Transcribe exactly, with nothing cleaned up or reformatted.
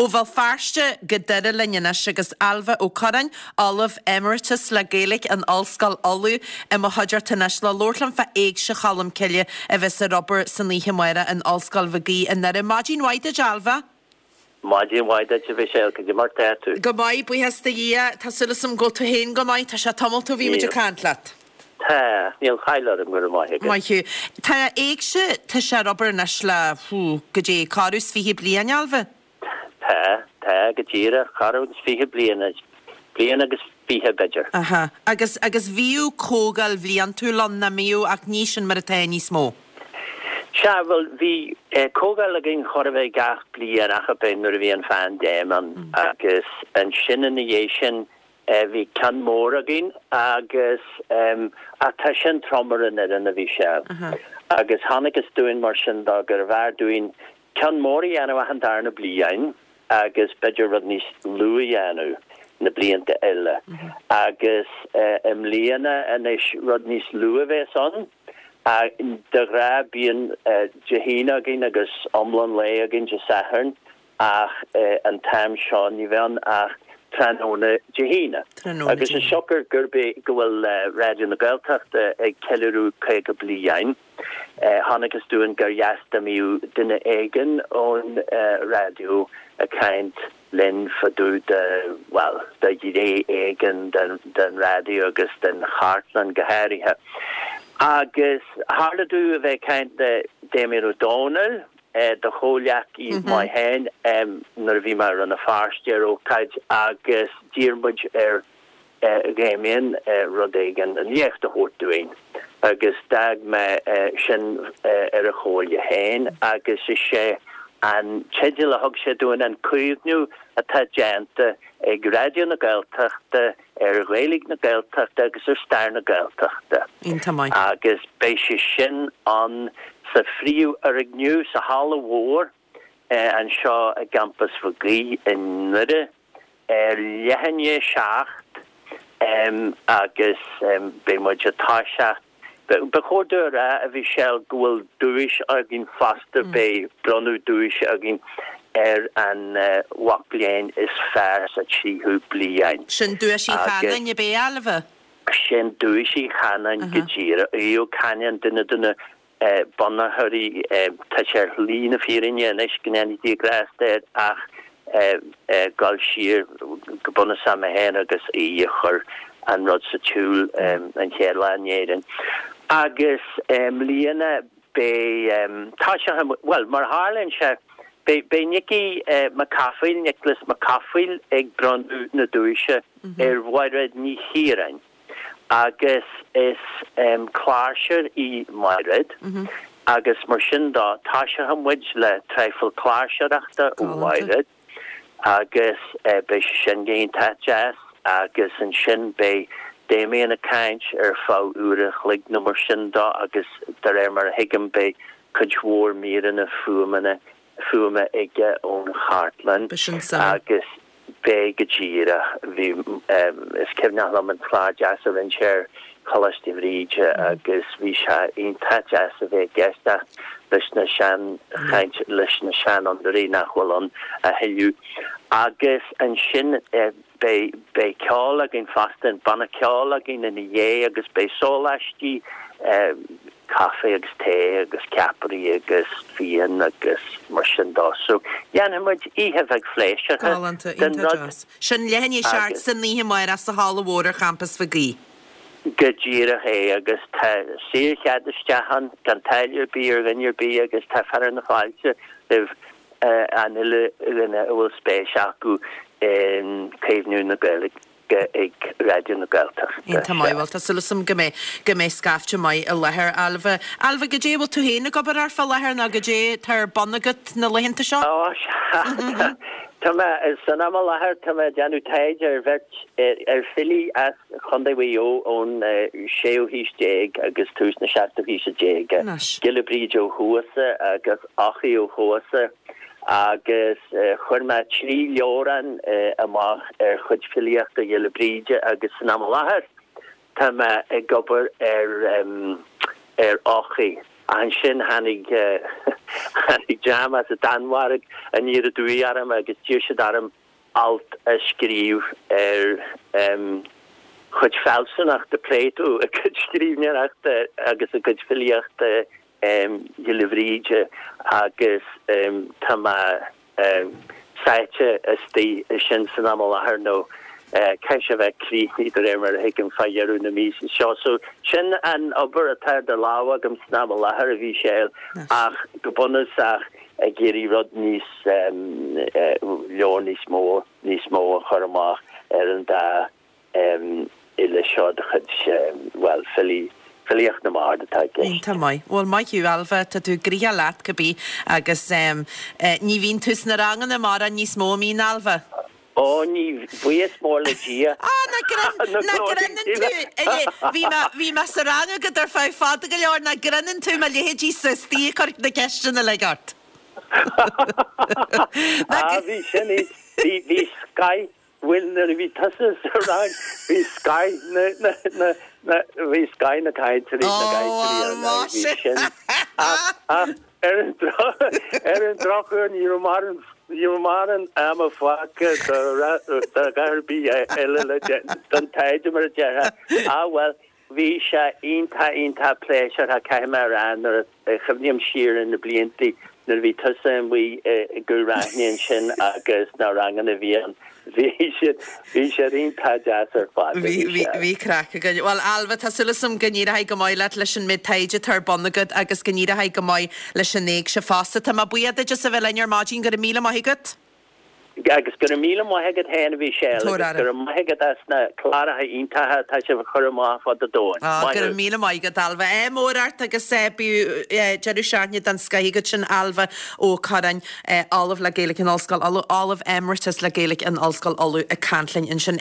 Ó Bhéal Feirste go Doire linn anois agus Ailbhe Ó Curráin, Ollamh Emeritus le Gaeilge in Ollscoil Uladh i mo chuideachta anois le labhairt liom fá Éigse Cholm Cille a bheas ar obair san oíche amárach in Ollscoil Mhig Aoidh i nDoire. Maidin mhaith duit, Ailbhe. Maidin mhaith duit, a Mhichelle, cad é mar tá tú? Go maith, buíochas do Dhia, tá súil agam go bhfuil tú féin go maith, tá sé tamalt ó bhí muid ag caint leat. Tá, níl caill orm, go raibh maith agat. Maith thú. Tá Éigse, tá sé ar obair anois le, hú, go dtí corradh is fiche bliain, Ailbhe? Tá, tá, go díreach, corradh agus fiche bliain, bliain agus fiche b'fhéidir. Aha. Agus, agus bhíodh comhdháil bhliantúil ann, nach mbíodh, ach ní sin mar atá níos mó. Sea, bhuel, bhí comhdháil againn chóir a bheith gach bliain ach ab é nuair a bhí an phaindéim ann agus ansin ina dhiaidh sin bhí ceann mór againn agus ach tá sin trom ar an fhoireann, a Mhichelle. Agus chonacthas dúinn mar sin dó gurbh fhearr dúinn ceann mór a dhéanamh achan darna bliain agus b'fhéidir rud níos lú a dhéanamh na blianta eile. Agus i mbliana anois rud níos lú a bheas ann. De ghnáth bíonn Dé hAoine againn agus iomlán lae againn Dé Sathairn. Ach an t-am seo ní bheidh ann ach tráthnóna Dé hAoine. Agus is siocair gurb é go bhfuil Raidió na Gaeltachta ag ceiliúradh caoga bliain, chonacthas dúinn gur dheas dá mbeadh duine éigin ón raidió ag caint linn fá dtaobh de, bhuel, de ghné éigin den raidió agus den chartlann go háirithe. Agus tharla domh a bheith ag caint le Damien Ó Dónaill, do chomhghleacaí maith féin nuair a bhí mé i Rann na Feirste ar ócáid agus d'iarr muid ar Dhamien rud éigin, léacht a thabhairt dúinn agus d'fhág mé sin ar a chomhairle féin agus is é an teideal a thug sé dúinn an caomhnú atá déanta ag Raidió na Gaeltachta ar Ghaeilge na Gaeltachta agus ar stair na Gaeltachta. Iontach maith. Agus beidh sé sin ann sa phríomhfhoirgneamh, sa halla mhór anseo i gCampas Mhig Aoidh i nDoire ar leath i ndiaidh a seacht agus beidh muid ag toiseacht. Ba chóir domh a rá, a Mhichelle, go bhfuil duais againn fosta, beidh bronnadh duaise againn ar an mhac léinn is fearr sa tríú bliain. Sin Duais Uí Chanáin, ab é, Ailbhe? Sin Duais Uí Chanáin go díreach. Aodh Ó Canáin, duine de na bunaitheoirí, tá sé ar shlí na fírinne anois, go ndéana Dia grásta air, ach dul siar go bunúsach mé féin agus Aodh a chuir an rud sa tsiúl an chéad lá in Éirinn. Agus i mbliana beidh, tá sé, bhuel, mar a tharlaíonn sé, beidh, beidh Nicky Mac Cathmhaoil, Nioclás Mac Cathmhaoil ag bronnadh na duaise ar Mhairéad Ní Chiaráin. Agus is cláirseoir í Mairéad agus mar sin dó toiseoidh muid le traidhfil cláirseoireachta ó Mhairéad agus beidh sé sin go hiontach deas agus ansin beidh Damien ag caint ar feadh uair an chloig nó mar sin dó agus de réir mar a thuigim beidh cuid mhór míreanna fuaimeanna fuaime aige ón chartlann agus beidh go díreach. Bhí, is cuimhneach liom an clár deas a rinne sé ar Choláiste Bhríde agus bhí sé iontach deas a bheith ag éisteacht leis na seanchaint, leis na seanfhondúirí nach bhfuil ann a thuilleadh. Agus ansin beidh, beidh ceol againn fosta, an banna ceoil againn ina dhiaidh agus beidh sóláistí, caife agus tae agus ceapairí agus fíon agus mar sin dó. So, dhéanfaidh muid oíche bheag phléisiúrtha Galánta, den iontach rud deas. Sin leath i ndiaidh a seacht agus. san oíche amárach sa halla mhór ar champas Mhig Aoidh. Go díreach é agus tá saorchead isteach ann gan táille ar bith ar dhuine ar bith agus tá fearadh na fáilte roimh an uile dhuine a bhfuil spéis acu i gcaomhnú na Gaeilge. ag Raidió na Gaeltachta. Iontach maith, bhuel tá súil agam go mbeidh, go mbeidh scaifte maith i láthair. Ailbhe, Ailbhe, goidé a bhfuil tú féin ag obair air fá láthair nó goidé atá ar bun agat na laethanta seo? Ó, sea, tá mé, san am i láthair, tá mé ag déanamh taighde ar bheirt, ar filí as Chontae Mhaigh Eo ón séú haois déag agus tús na seachtú haoise déag, Giolla Bríde Ó Cuasa agus Eochaidh Ó Cuasa. agus chuir mé trí leabhrán amach ar chuid filíochta Ghiolla Bríde agus san am i láthair tá mé ag obair ar ar Eochaidh. Ach ansin tháinig Tháinig dream as an Danmhairg aniar aduaidh orm agus d'iarr siad orm alt a scríobh ar chuid fealsúnachta Plato, a chuid scríbhneoireachta agus a chuid filíochta Ghiolla Bhríde agus tá mé sáite istigh ansin san am i láthair nó caithfidh sé a bheith críochnaithe de réir mar a thuigim fá dheireadh na míosa seo. So sin an obair atá idir lámha agam san am i láthair a Mhichelle ach go bunúsach ag iarraidh rud níos leabhar níos mó níos mó a chur amach ar an dá fhile seo de chuid bhuel filí filíocht na mbard atá i gceist. Iontach maith. Bhuel maith thú Ailbhe, tá tú gnoitheach leat cibé agus ní bhíonn tú sna ranganna mórán níos mó, an mbíonn Ailbhe? Ó ní, buíochas mór le Dia. Á, nach ngrinneann tú, bhí mé, bhí mé sa rang agat ar feadh fada go leor, nach ngrinneann tú mo leithéidí-sa istigh ag cur na ceisteanna uilig ort. Á, bhí sin, bhí, bhí sky, bhuel nuair a bhí tusa sa rang, bhí sky na, na, na, na, bhí sky na cainteoirí, na gcainteoirí ar ndóigh, bhí sin. Ach, ach ar an droch, ar an drochuair ní raibh mórán, ní raibh mórán ama fágtha do, do dhath ar bith eile le, don taighde mar a déarfá. Ah bhuel, bhí sé iontach, iontach pléisiúrtha, caithfidh mé a rá, nuair a chuimhním siar ar na blianta nuair a bhí tusa amuigh i gCúil Raithin ansin agus na ranganna a bhí ann, bhí siad, bhí siad iontach deas ar fad, Bhí, bhí, bhí craic againn. Bhuel, Ailbhe, tá súil agam go n-éireoidh go maith leat leis an méid taighde atá ar bun agat agus go n-éireoidh go maith leis an éigse fosta. Tá mé buíoch duit as a bheith linn ar maidin, go raibh míle maith agat. Agus go raibh míle maith agat féin a Mhichelle agus go raibh maith agat as na cláracha iontacha atá sibh a chur amach fud an domhain. Maith Go raibh míle maith agat Ailbhe. Ádh mór ort agus bíodh deireadh seachtaine den scoith agat sin Ailbhe Ó Curráin, Ollamh le Gaeilge in Ollscoil Uladh, Ollamh Emeritus le Gaeilge in Ollscoil Uladh ag caint linn ansin.